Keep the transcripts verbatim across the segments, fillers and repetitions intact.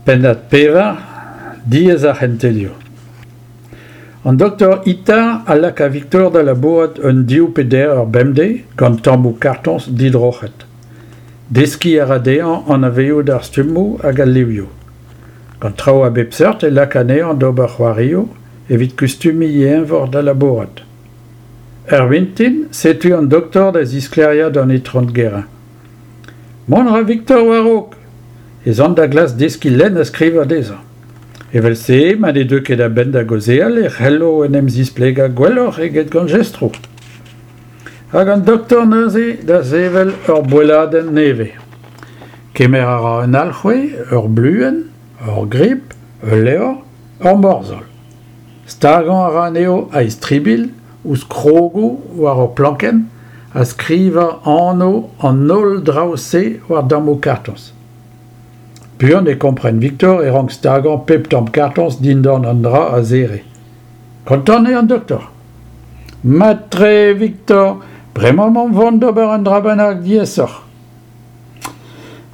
Pennad pevar, diaes ar c'hentelioù. An doktor Itard a laka Viktor da labourat un div pe deir eur bemdez gant tammoù kartoñs didroc'het. Deskiñ a ra dezhañ anavezout ar stummoù hag al livioù. Gant traoù a bep seurt e laka anezhañ d'ober c'hoarioù evit kustumiñ e eñvor da labourat. Ur vintin, setu an doktor da zisklêriañ d'an Itron Guérin. Mont a ra Viktor war-raok. Ez an da glask deskiñ lenn ha skrivañ dezhañ. Evel-se, ma ne deu ket a-benn da gaozeal e c'hello en em zisplegañ gwelloc'h eget gant jestroù. Hag an doktor neuze da sevel ur boelladenn nevez. Kemer a ra un alc'hwez, ur bluenn, ur grip, ul levr, ur morzhol. Stagañ a ra anezho a-istribilh ouzh krogoù war ur plankenn ha skrivañ anv an holl draoù-se war dammoù kartoñs. Buan e kompren Viktor e rank stagañ pep tamm kartoñs dindan an dra a zere. Kontant eo an doktor. Mat-tre, Viktor, bremañ emaomp o vont d'ober un dra bennak diaesoc'h.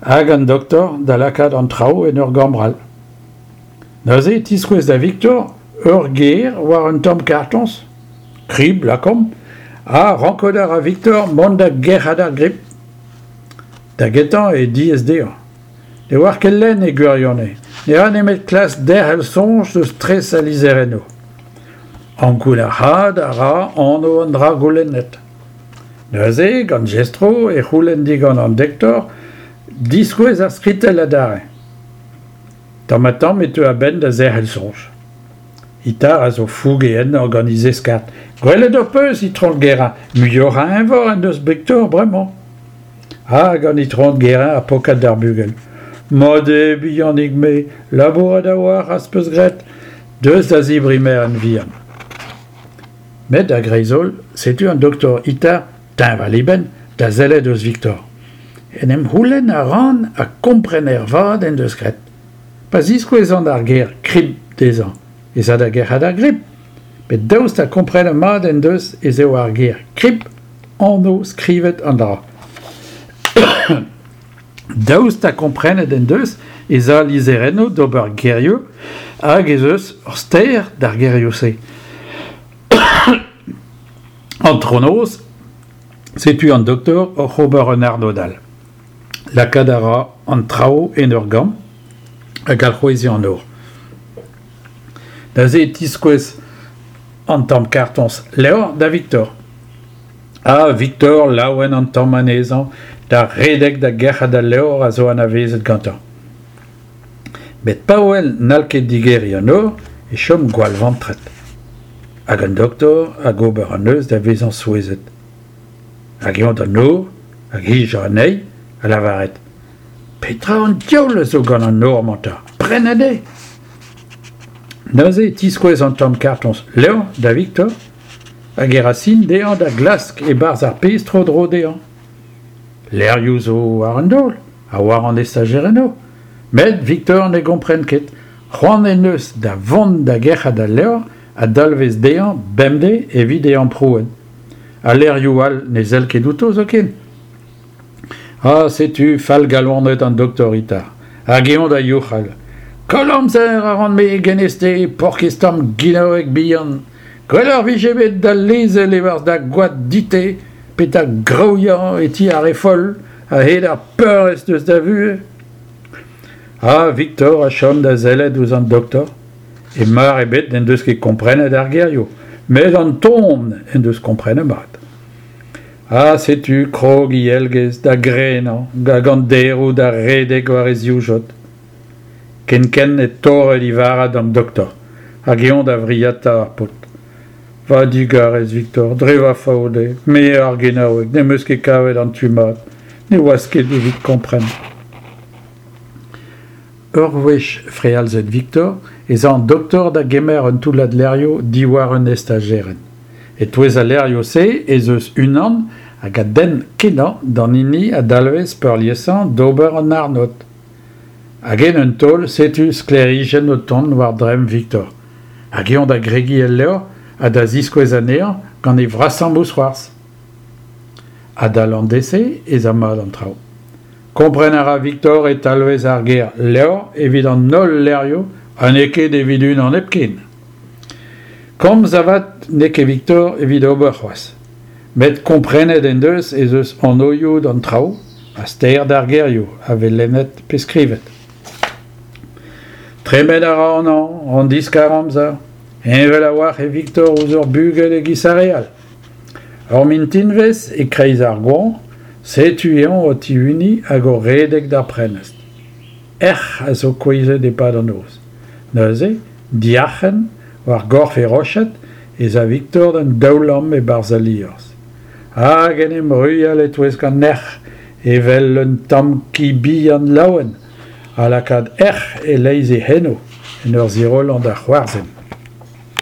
Hag an doktor da lakaat an traoù en ur gambr all. Neuze e tiskouez da Viktor ur ger war un tamm kartoñs, krib lakaomp, ha rankout a ra Viktor mont da gerc'hat ar grip. Da gentañ eo diaes dezhañ. Ne oar ket lenn e gwirionez, ne ra nemet klask derc'hel soñj eus tres al lizherennoù. Ankounac'haat a ra anv an dra goulennet. Neuze, gant jestroù, e c'houlenn digant an doktor diskouez ar skritell adarre. Tamm-ha-tamm e teu a-benn da zerc'hel soñj. Itard a zo fouge ennañ gant e zeskard. Gwelet ho peus, Itron Guérin, muioc'h a eñvor en deus Viktor bremañ. Hag an Itron Guérin ha pokat d'ar bugel. Mat eo, bihanig-me, labourat a-walc'h az peus graet, deus da zebriñ merenn-vihan. Met a-greiz-holl, setu an doktor Itard, teñval e benn, da sellet eus Viktor. En em c'houlenn a ran ha kompren ervat en deus graet. Pa ziskouezan ar ger krib dezhañ, ez a da gerc'hat ar grip. Met daoust ha komprenet mat en deus ez eo ar ger krib anv skrivet an dra. Daoust ha komprenet en deus ez a lizherennoù d'ober gerioù hag ez eus ur ster d'ar gerioù-se. Antronoz, setu an doktor oc'h ober un arnod all. Lakaat a ra an traoù en ur gambr hag alc'hweziñ an nor. Neuze e tiskouez an tamm kartoñs levr da Viktor. Ha Viktor laouen an tamm anezhañ da redek da gerc'hat al levr a zo anavezet gantañ. Met pa wel n'hall ket digeriñ an nor e chom gwall vantret. Hag an doktor hag ober an neuz da vezañ souezhet. Hag eñ d'an nor, hag hijañ anezhi, ha lavaret Petra an diaoul a zo gant an nor-mañ 'ta ? Prennet eo ! Neuze e tiskouez an tamm kartoñs levr da Viktor hag e ra sin dezhañ da glask e-barzh ar pezh tro-dro dezhañ. Levrioù zo war an daol ha war an estajerennoù. Met Viktor ne gompren ket. C'hoant en deus da vont da gerc'hat al levr a dalvez dezhañ bemdez evit e amprouenn. Al levrioù all ne sell ket outo zoken. Ha setu fallgalonet an doktor Itard. Hag eñ da youc'hal. Koll amzer a ran-me genez-te, paourkaezh tamm ginaoueg bihan. Gwelloc'h vije bet da lezel e-barzh da goad dit-te pe da graouiañ e ti ar re foll a-hed ar peurrest eus da vuhez. Ha Viktor a chom da sellet ouzh an doktor. E mar ebet n'en deus ket komprenet ar gerioù, met an ton en deus komprenet mat. Ha setu krog e elgez da grenañ hag an deroù da redek war e zivjod. Kenkent e torre e varrad an doktor, hag eñ da vriata ar paotr. Va digarez, Viktor, dre va faot eo, me ar genaoueg, n'em eus ket kavet an tu mat, ne oas ket evit kompren. Ur wech frealzet Viktor ez a an doktor da gemer un toullad levrioù diwar un estajerenn. E-touez al levrioù-se ez eus unan hag a denn kenañ d'an hini a dalvez peurliesañ d'ober an arnod. Hag en un taol setu sklêrijenn o tont war dremm Viktor. Hag eñ da gregiñ el levr ha da ziskouez anezhañ gant e vrasañ mousc'hoarzh. Adal an deiz-se ez a mat an traoù. Kompren a ra Viktor e talvez ar ger levr evit an holl levrioù ha n'eo ket evit unan hepken. Komz avat n'eo ket Viktor evit ober c'hoazh. Met komprenet en deus ez eus anvioù d'an traoù ha ster d'ar gerioù a vez lennet pe skrivet. Tremen a ra an hañv, an diskar-amzer. Heñvel a-walc'h eo Viktor ouzh ur bugel e-giz ar re all. Ur mintinvezh e-kreiz ar goañv, setu eñ o tihuniñ hag o redek d'ar prenestr. Erc'h a zo kouezhet e-pad an noz. Neuze, diarc'hen, war gorf e roched, ez a Viktor d'un daoulamm e-barzh al liorzh. Hag en em ruilhal e-touesk an erc'h evel un tamm ki bihan laouen ha lakaat erc'h e-leizh e c'henoù en ur zirollañ da c'hoarzhin.